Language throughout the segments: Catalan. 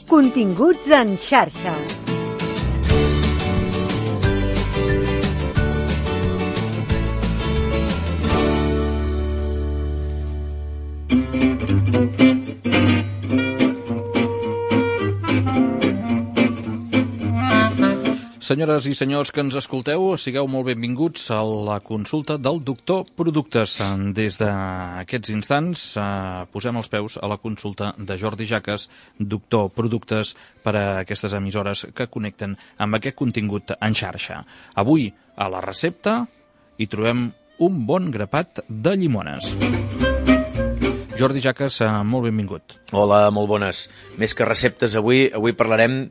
Continguts en xarxa. Senyores i senyors que ens escolteu, sigueu molt benvinguts a la consulta del Doctor Productes. Des d'aquests instants posem els peus a la consulta de Jordi Jaques, Doctor Productes, per a aquestes emissores que connecten amb aquest contingut en xarxa. Avui, a la recepta, hi trobem un bon grapat de llimones. Jordi Jaques, molt benvingut. Hola, molt bones. Més que receptes, avui parlarem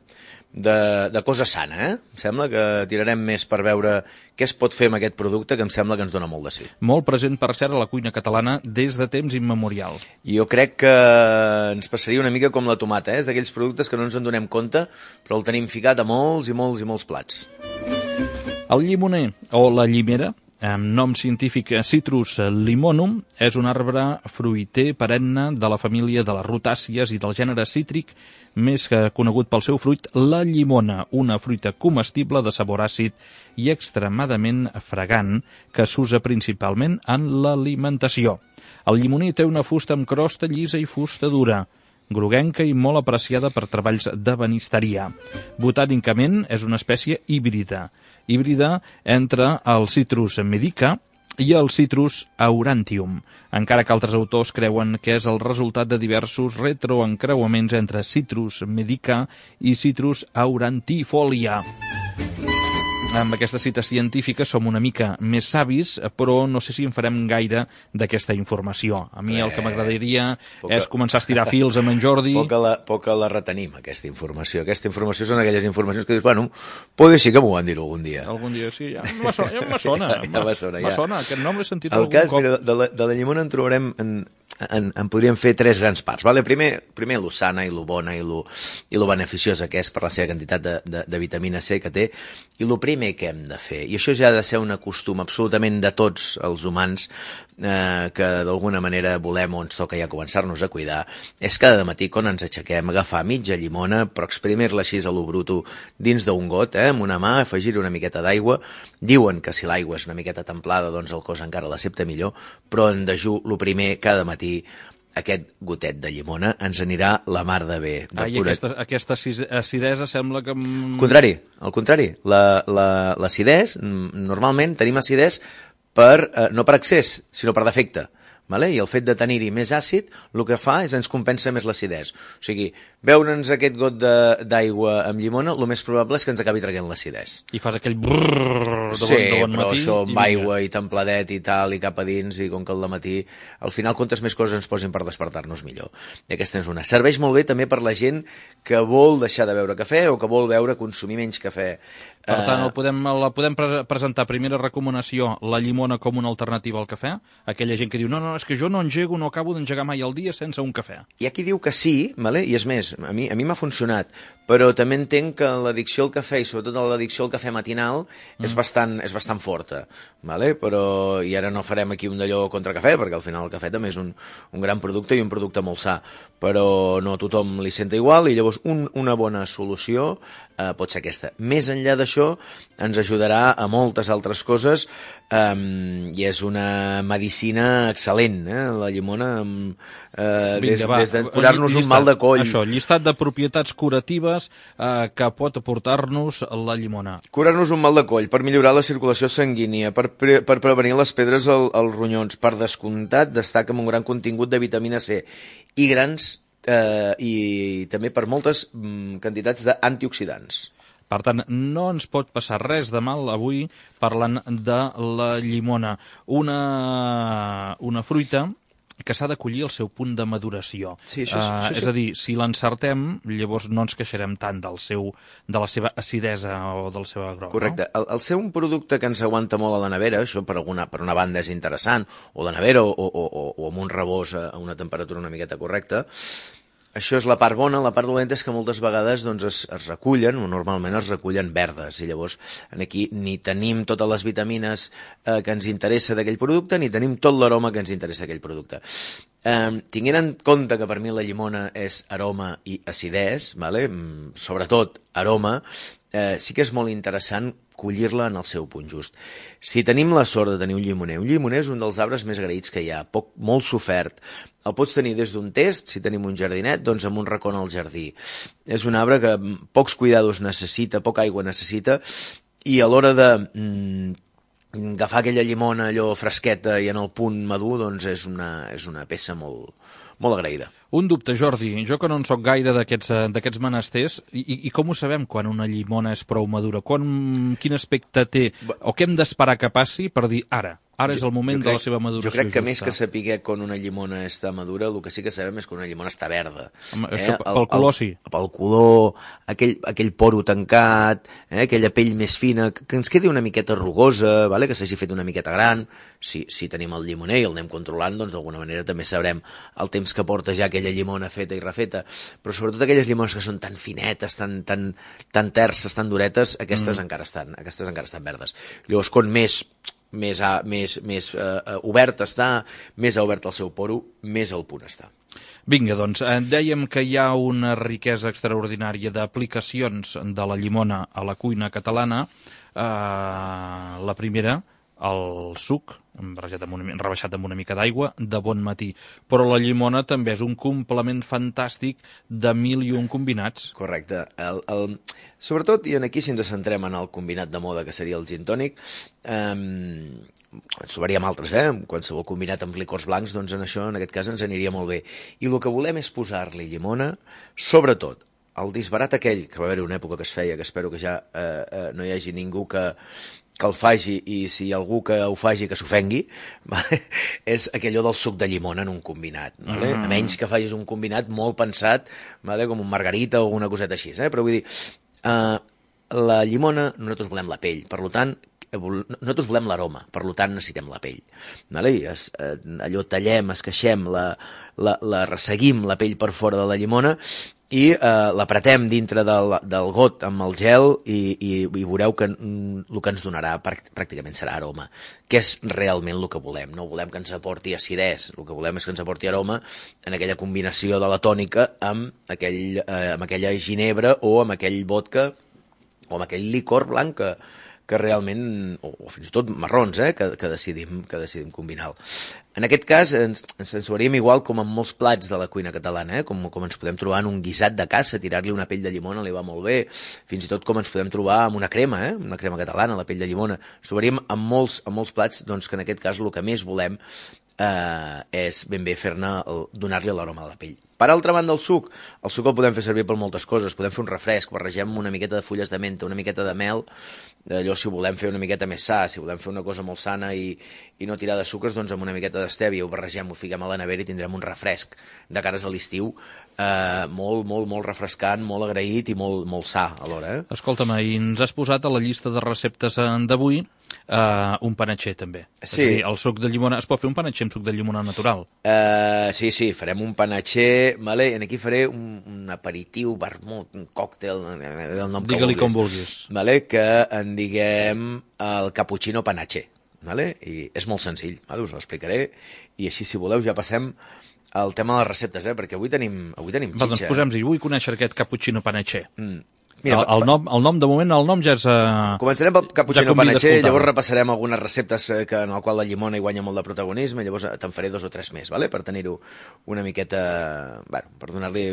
de cosa sana, eh? Em sembla que tirarem més per veure què es pot fer amb aquest producte, que em sembla que ens dona molt de sí. Molt present, per cert, a la cuina catalana des de temps immemorials. Jo crec que ens passaria una mica com la tomata, eh? És d'aquells productes que no ens en donem compte, però el tenim ficat a molts i molts i molts plats. El llimoner, o la llimera, amb nom científic Citrus limonum, és un arbre fruiter perenne de la família de les rutàcies i del gènere cítric, més que conegut pel seu fruit, la llimona, una fruita comestible de sabor àcid i extremadament fragant, que s'usa principalment en l'alimentació. El llimoner té una fusta amb crosta llisa i fusta dura, groguenca i molt apreciada per treballs d'ebenisteria. Botànicament és una espècie híbrida entre el Citrus medica i el Citrus aurantium, encara que altres autors creuen que és el resultat de diversos retroencreuaments entre Citrus medica i Citrus aurantifolia. Amb aquesta cita científica som una mica més savis, però no sé si en farem gaire d'aquesta informació. A mi el que m'agradaria és començar a estirar fils amb en Jordi. Poca la retenim, aquesta informació. Aquesta informació són aquelles informacions que dius, bueno, pot ser que m'ho van dir algun dia. Algun dia, sí, ja me sona. Me sona, aquest nom l'he sentit algun cop. Mira, de la llimona en trobarem... En podríem fer tres grans parts. Vale? Primer lo sana i lo bona i lo beneficiosa que és per la seva quantitat de vitamina C que té, i lo primer que hem de fer, i això ja ha de ser un costum absolutament de tots els humans que d'alguna manera volem o ens toca ja començar-nos a cuidar, és cada matí quan ens aixequem agafar mitja llimona, però exprimir-la així a lo bruto dins d'un got, amb una mà, afegir una miqueta d'aigua. Diuen que si l'aigua és una miqueta templada, doncs el cos encara l'accepta millor, però en dejú, lo primer, cada matí, aquest gotet de llimona ens anirà la mar de bé. Aquesta acidesa sembla que... Al contrari. L'acidesa, normalment tenim acidesa no per excés, sinó per defecte. Vale? I el fet de tenir-hi més àcid el que fa és ens compensa més l'acidesa. O sigui, beure'ns aquest got d'aigua amb llimona, el més probable és que ens acabi traient l'acidesa. I fas aquell brrrr de bon matí. Sí, però això amb aigua i templadet i tal, i cap a dins, i com que al matí, al final, quantes més coses ens posin per despertar-nos millor. I aquesta és una. Serveix molt bé també per la gent que vol deixar de beure cafè o que vol consumir menys cafè. Per tant, la podem presentar, primera recomanació, la llimona com una alternativa al cafè? Aquella gent que diu, no, és que jo no engego, no acabo d'engegar mai al dia sense un cafè. Hi ha qui diu que sí, vale? I és més, a mi m'ha funcionat, però també entenc que l'addicció al cafè, i sobretot l'addicció al cafè matinal, és bastant forta, vale? Però, i ara no farem aquí un d'allò contra cafè, perquè al final el cafè també és un gran producte i un producte molt sa, però no a tothom li senta igual, i llavors una bona solució pot ser aquesta. Més enllà d'això, ens ajudarà a moltes altres coses, i és una medicina excel·lent, la llimona, des de curar-nos un mal de coll. Això, llistat de propietats curatives que pot aportar-nos la llimona. Curar-nos un mal de coll, per millorar la circulació sanguínia, per prevenir les pedres als ronyons, per descomptat destaca amb un gran contingut de vitamina C i i també per moltes quantitats d'antioxidants. Per tant, no ens pot passar res de mal avui parlant de la llimona. Una fruita que s'ha de collir al seu punt de maduració. Sí, això. És a dir, si l'encertem, llavors no ens queixarem tant de la seva acidesa o del seu agrau. Correcte. No? El ser un producte que ens aguanta molt a la nevera, això per una banda és interessant, o la nevera o amb un rebós a una temperatura una miqueta correcta. Això és la part bona. La part dolenta és que moltes vegades es recullen, o normalment es recullen verdes, i llavors aquí ni tenim totes les vitamines que ens interessa d'aquell producte, ni tenim tot l'aroma que ens interessa d'aquell producte. Tinguent en compte que per mi la llimona és aroma i acidès, vale? Sobretot aroma, sí que és molt interessant collir-la en el seu punt just. Si tenim la sort de tenir un llimoner és un dels arbres més agraïts que hi ha, molt sofert. El pots tenir des d'un test, si tenim un jardinet, doncs amb un racó al jardí. És un arbre que pocs cuidados necessita, poca aigua necessita, i a l'hora de agafar aquella llimona allò fresqueta i en el punt madur, doncs és una peça molt agraïda. Un dubte, Jordi. Jo que no en soc gaire d'aquests menesters, i com ho sabem quan una llimona és prou madura? Quin aspecte té? O què hem d'esperar que passi per dir ara és el moment de la seva maduració justa? Jo crec que justa. Més que saber quan una llimona està madura, el que sí que sabem és que una llimona està verda. Això pel color sí. Pel color, aquell poro tancat, aquella pell més fina, que ens quedi una miqueta rugosa, vale? Que s'hagi fet una miqueta gran. Si tenim el llimoner i el anem controlant, doncs d'alguna manera també sabrem el temps que porta ja aquella llimona feta i refeta. Però sobretot aquelles llimones que són tan finetes, tan terces, tan duretes, aquestes encara estan verdes. Llavors, com més obert està, més obert el seu poro, més al punt està. Vinga, doncs, dèiem que hi ha una riquesa extraordinària d'aplicacions de la llimona a la cuina catalana. La primera, el suc, rebaixat amb una mica d'aigua, de bon matí. Però la llimona també és un complement fantàstic de 1001 combinats. Correcte. Sobretot, i aquí si ens centrem en el combinat de moda, que seria el gin tònic, ens trobaríem altres, qualsevol combinat amb licors blancs, doncs en aquest cas ens aniria molt bé. I el que volem és posar-li llimona, sobretot, el disbarat aquell, que va haver una època que es feia, que espero que ja no hi hagi ningú que el faci, i si algú que ho faci que s'ofengui, vale? És aquellò del suc de llimona en un combinat, vale? A menys que facis un combinat molt pensat, vale? Com un margarita o una coseta així, però vull dir, la llimona, nosaltres volem la pell, per tant, nosaltres volem l'aroma, per tant necessitem la pell, vale? Allò tallem, esqueixem, la resseguim la pell per fora de la llimona i l'apretem dintre del got amb el gel i veureu que el que ens donarà pràcticament serà aroma, que és realment el que volem. No volem que ens aporti acidès, el que volem és que ens aporti aroma en aquella combinació de la tònica amb aquella ginebra o amb aquell vodka o amb aquell licor blanc que realment, o fins i tot marrons, que decidim combinar. En aquest cas ens trobaríem igual com en molts plats de la cuina catalana, com ens podem trobar en un guisat de caça, tirar-li una pell de llimona li va molt bé, fins i tot com ens podem trobar amb una crema catalana, la pell de llimona. Ens trobaríem en molts plats, doncs, que en aquest cas el que més volem és ben bé donar-li l'aroma a la pell. Per altra banda, el suc el podem fer servir per moltes coses. Podem fer un refresc, barregem una miqueta de fulles de menta, una miqueta de mel, allò si ho volem fer una miqueta més sa, si volem fer una cosa molt sana i no tirar de sucres, doncs amb una miqueta d'estèvia ho barregem, ho fiquem a la nevera i tindrem un refresc de cares a l'estiu molt refrescant, molt agraït i molt sa alhora. Escolta'm, i ens has posat a la llista de receptes d'avui un panatxer també. Sí. És a dir, el suc de llimona, es pot fer un panatxer amb suc de llimona natural? Sí, farem un panatxer, vale? I aquí faré un aperitiu, vermut, un còctel, el nom que Digue-li com vulguis. Vale? Que en diguem el cappuccino panatxer. Vale? I és molt senzill, vale? Us ho explicaré, i així, si voleu, ja passem al tema de les receptes, perquè avui tenim xitxa. Doncs posem-hi, vull conèixer aquest cappuccino panatxer. Mira, el nom, de moment, el nom ja és... Començarem pel cappuccino panatxer, llavors repassarem algunes receptes en el qual la llimona hi guanya molt de protagonisme, llavors te'n faré 2 o 3 més, vale? Per tenir-ho una miqueta... Bueno, per donar-li...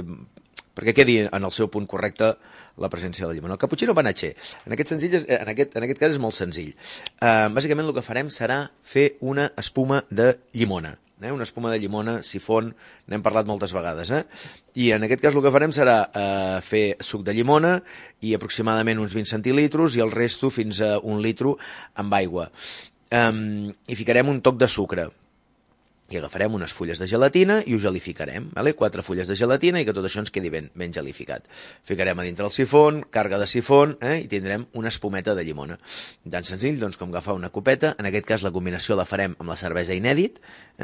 perquè quedi en el seu punt correcte la presència de la llimona. El cappuccino panatxer, en aquest cas és molt senzill. Bàsicament el que farem serà fer una espuma de llimona. Una espuma de llimona, sifon, n'hem parlat moltes vegades. I en aquest cas el que farem serà fer suc de llimona i aproximadament uns 20 centilitros i el resto fins a 1 litro amb aigua. I ficarem un toc de sucre. I agafarem unes fulles de gelatina i ho gelificarem, vale? 4 fulles de gelatina i que tot això ens quedi ben gelificat. Ficarem a dintre el sifon, càrrega de sifon, i tindrem una espumeta de llimona. Tan senzill doncs, com agafar una copeta, en aquest cas la combinació la farem amb la cervesa inèdit,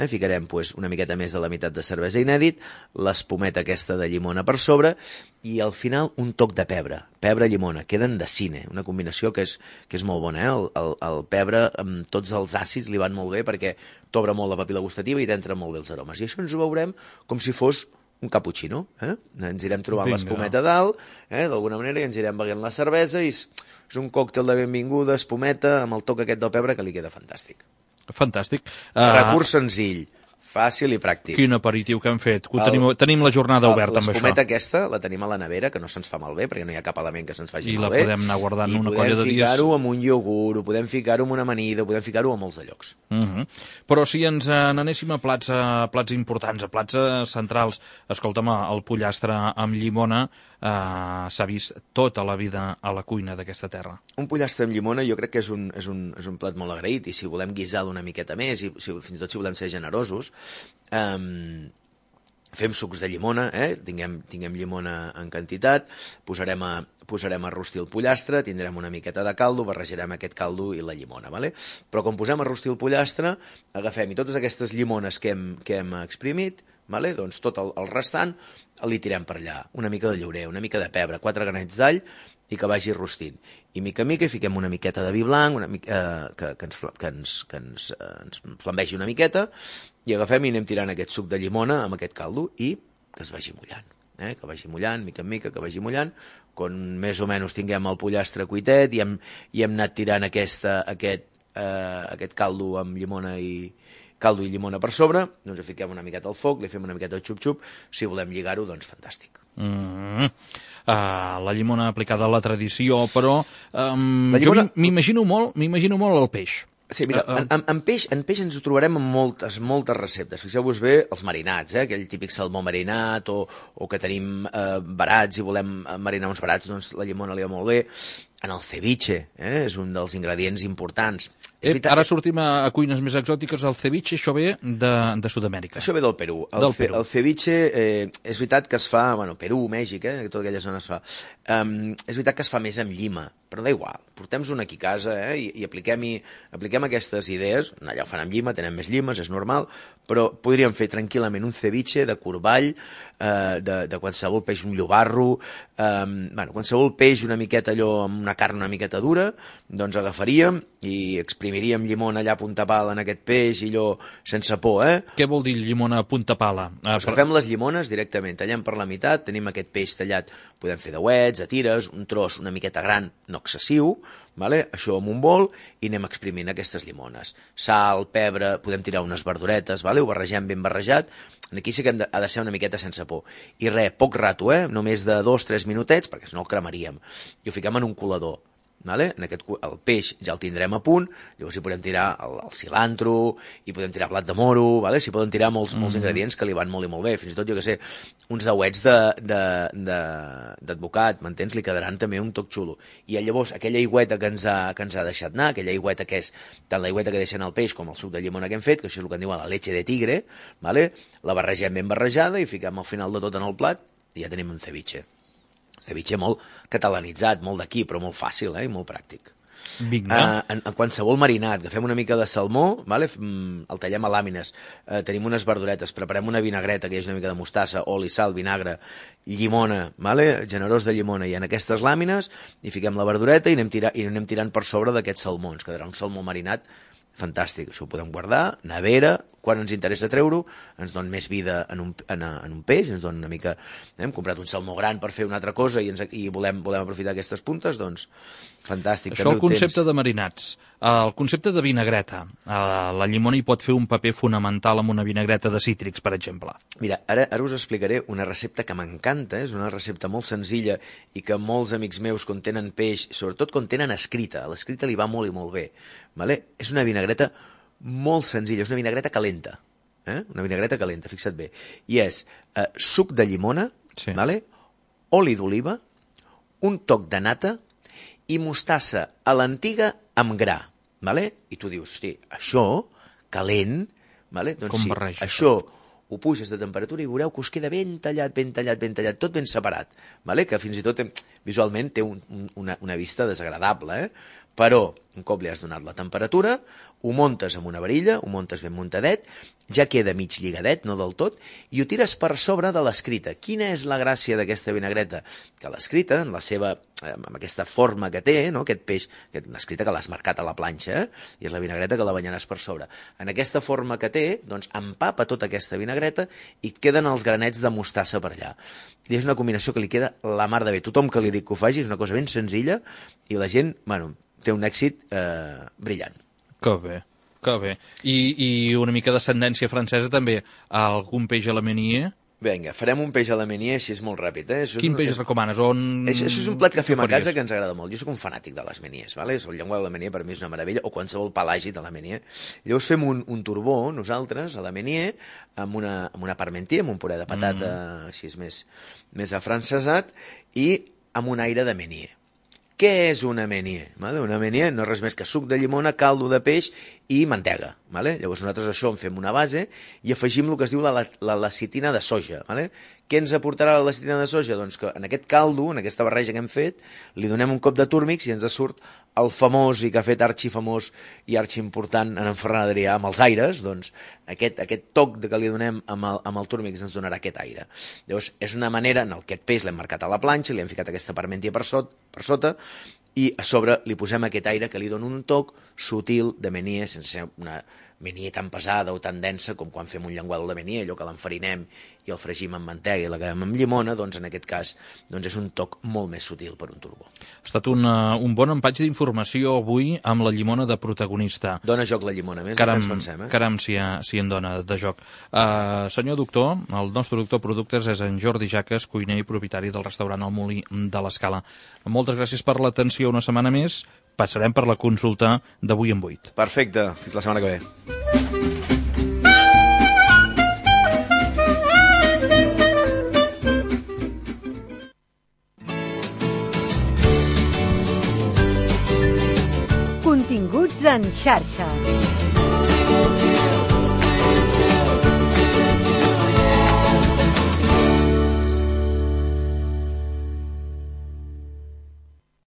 ficarem una miqueta més de la meitat de cervesa inèdit, l'espumeta aquesta de llimona per sobre, i al final un toc de pebre, pebre-llimona, queden de cine, una combinació que és molt bona. El pebre amb tots els àcids li van molt bé perquè t'obre molt la papil·la gustativa arriba i t'entren molt bé els aromes. I això ens ho veurem com si fos un cappuccino. Ens irem trobant l'espumeta a dalt, d'alguna manera, i ens irem beguent la cervesa, i és un còctel de benvinguda, espumeta, amb el toc aquest del pebre, que li queda fantàstic. Fantàstic. Recurs senzill, fàcil i pràctic. Quin aperitiu que hem fet. Tenim la jornada oberta amb això. L'espumeta aquesta la tenim a la nevera, que no se'ns fa malbé, perquè no hi ha cap element que se'ns faci malbé. I la podem anar guardant una colla de dies. I podem ficar-ho amb un iogurt, ho podem ficar-ho amb una amanida, ho podem ficar-ho a molts de llocs. Però si ens n'anéssim a plats importants, a plats centrals, escolta'm, el pollastre amb llimona s'ha vist tota la vida a la cuina d'aquesta terra. Un pollastre amb llimona jo crec que és un plat molt agraït, i si volem guisar-lo una miqueta més, i fins i tot si volem ser generosos, fem sucs de llimona, tinguem llimona en quantitat, posarem a rostir el pollastre, tindrem una miqueta de caldo, barrejarem aquest caldo i la llimona, ¿vale? Però quan posem a rostir el pollastre, agafem i totes aquestes llimones que hem exprimit, ¿vale? Doncs tot el restant li tirem per allà, una mica de llorer, una mica de pebre, 4 granets d'all, i que vagi rostint. I mica en mica hi fiquem una miqueta de vi blanc, que ens flambegi una miqueta, i agafem i anem tirant aquest suc de llimona amb aquest caldo i que es vagi mullant. Que vagi mullant, mica en mica, que vagi mullant. Quan més o menys tinguem el pollastre cuitet i hem anat tirant aquest caldo amb llimona i llimona per sobre, doncs fiquem una miqueta al foc, li fem una miqueta de xup-xup, si volem lligar-ho, doncs fantàstic. La llimona aplicada a la tradició, però jo m'imagino molt el peix. Sí, mira, en peix ens ho trobarem en moltes receptes. Fixeu-vos bé els marinats, aquell típic salmó marinat, o que tenim barats i volem marinar uns barats, doncs la llimona li va molt bé. En el ceviche, és un dels ingredients importants. Ara sortim a cuines més exòtiques. El ceviche, això ve de Sud-amèrica. Això ve del Perú. El ceviche és veritat que es fa, Perú, Mèxic, tota aquella zona es fa. És veritat que es fa més amb llima, però da igual. Portem-ho aquí a casa i apliquem aquestes idees. Allà ho fan amb llima, tenen més llimes, és normal, però podríem fer tranquil·lament un ceviche de corball, de qualsevol peix, un llobarro, qualsevol peix una miqueta allò amb una carn una miqueta dura, doncs agafaríem i exprimiríem llimona allà a punta pala en aquest peix i allò sense por, Què vol dir llimona a punta pala? Agafem les llimones directament, tallem per la meitat, tenim aquest peix tallat, podem fer dauets, a tires, un tros una miqueta gran, no excessiu, això amb un bol, i anem exprimint aquestes llimones. Sal, pebre, podem tirar unes verduretes, ho barregem ben barrejat. Aquí sí que ha de ser una miqueta sense por. I res, poc rato, només de 2-3 minutets, perquè si no el cremaríem. I ho fiquem en un colador. El peix ja el tindrem a punt, llavors hi podem tirar el cilantro, hi podem tirar blat de moro, s'hi poden tirar molts ingredients que li van molt i molt bé, fins i tot, jo què sé, uns dauets d'advocat, m'entens? Li quedaran també un toc xulo. I llavors aquella aigüeta que ens ha deixat anar, aquella aigüeta que és tant l'aigüeta que deixen el peix com el suc de llimona que hem fet, que això és el que en diuen la leche de tigre, la barregem ben barrejada i fiquem al final de tot en el plat i ja tenim un ceviche. Ceviche molt catalanitzat, molt d'aquí, però molt fàcil i molt pràctic. En qualsevol marinat, agafem una mica de salmó, el tallem a làmines, tenim unes verduretes, preparem una vinagreta, que hi hagi una mica de mostassa, oli, sal, vinagre, llimona, generós de llimona, i en aquestes làmines hi fiquem la verdureta i anem tirant per sobre d'aquests salmons, quedarà un salmó marinat fantàstic. Això ho podem guardar, nevera, quan ens interessa treure-ho, ens dona més vida en un peix, ens dona una mica... Hem comprat un salmó gran per fer una altra cosa i volem aprofitar aquestes puntes, doncs fantàstic. Això el concepte de marinats. El concepte de vinagreta. La llimona hi pot fer un paper fonamental amb una vinagreta de cítrics, per exemple. Mira, ara us explicaré una recepta que m'encanta, és una recepta molt senzilla i que molts amics meus, quan tenen peix, sobretot quan tenen escrita, a l'escrita li va molt i molt bé. És una vinagreta molt senzilla, és una vinagreta calenta. Una vinagreta calenta, fixa't bé. I és suc de llimona, oli d'oliva, un toc de nata i mostassa a l'antiga amb gra. I tu dius, hosti, això, calent, doncs sí, això ho puges de temperatura i veureu que us queda ben tallat, tot ben separat, que fins i tot visualment té una vista desagradable, però un cop li has donat la temperatura, ho muntes amb una varilla, ho muntes ben muntadet, ja queda mig lligadet, no del tot, i ho tires per sobre de l'escrita. Quina és la gràcia d'aquesta vinagreta? Que l'escrita, amb aquesta forma que té, no? Aquest peix, l'escrita que l'has marcat a la planxa, i és la vinagreta que la banyaràs per sobre. En aquesta forma que té, doncs empapa tota aquesta vinagreta i et queden els granets de mostassa per allà. I és una combinació que li queda la mar de bé. Tothom que li dic que ho faci és una cosa ben senzilla i la gent, té un èxit brillant. Que bé, que bé. I una mica d'ascendència francesa també. Algun peix a la Meunier? Vinga, farem un peix a la Meunier, així és molt ràpid. Quin peix recomanes? Això és un plat que fem a casa que ens agrada molt. Jo soc un fanàtic de les Meuniers, ¿vale? El llenguat de la Meunier per mi és una meravella, o qualsevol pelagi de la Meunier. Llavors fem un turbó, nosaltres, a la Meunier, amb una parmentier, amb un puré de patata així més afrancesat, i amb un aire de Meunier. Què és una Meunier? Una Meunier no és res més que suc de llimona, caldo de peix i mantega. Llavors nosaltres això en fem una base i afegim el que es diu la lecitina de soja. Què ens aportarà la lecitina de soja? Doncs que en aquest caldo, en aquesta barreja que hem fet, li donem un cop de túrmix i ens surt el famós i que ha fet arxifamós i arxiimportant en Ferran Adrià amb els aires, doncs aquest toc que li donem amb el túrmix ens donarà aquest aire. Llavors és una manera, en aquest peix l'hem marcat a la planxa, li hem ficat aquesta parmentier per sota i a sobre li posem aquest aire que li dona un toc sutil de Meunier, sense ser una Meunier tan pesada o tan densa com quan fem un llenguado de Meunier, allò que l'enfarinem i el fregim amb mantega i l'acabem amb llimona, doncs en aquest cas és un toc molt més sutil per un turbó. Ha estat un bon empatge d'informació avui amb la llimona de protagonista. Dona joc la llimona, més del que ens pensem. Caram, si en dona de joc. Senyor doctor, el nostre doctor Productes és en Jordi Jaques, cuiner i propietari del restaurant El Molí de l'Escala. Moltes gràcies per l'atenció una setmana més. Passarem per la consulta d'avui en 8. Perfecte, fins la setmana que ve. Continguts en xarxa.